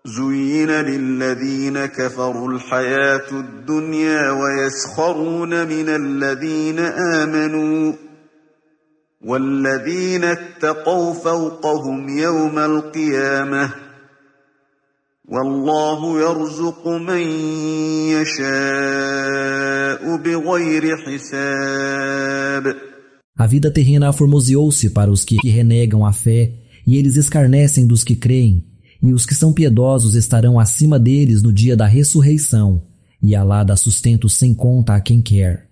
زين للذين كفروا الحياة الدنيا ويسخرون من الذين آمنوا والذين اتقوا فوقهم يوم القيامة والله يرزق من يشاء بغير حساب. A vida terrena aformoseou-se para os que renegam a fé, e eles escarnecem dos que creem, e os que são piedosos estarão acima deles no dia da ressurreição, e Alá dá sustento sem conta a quem quer.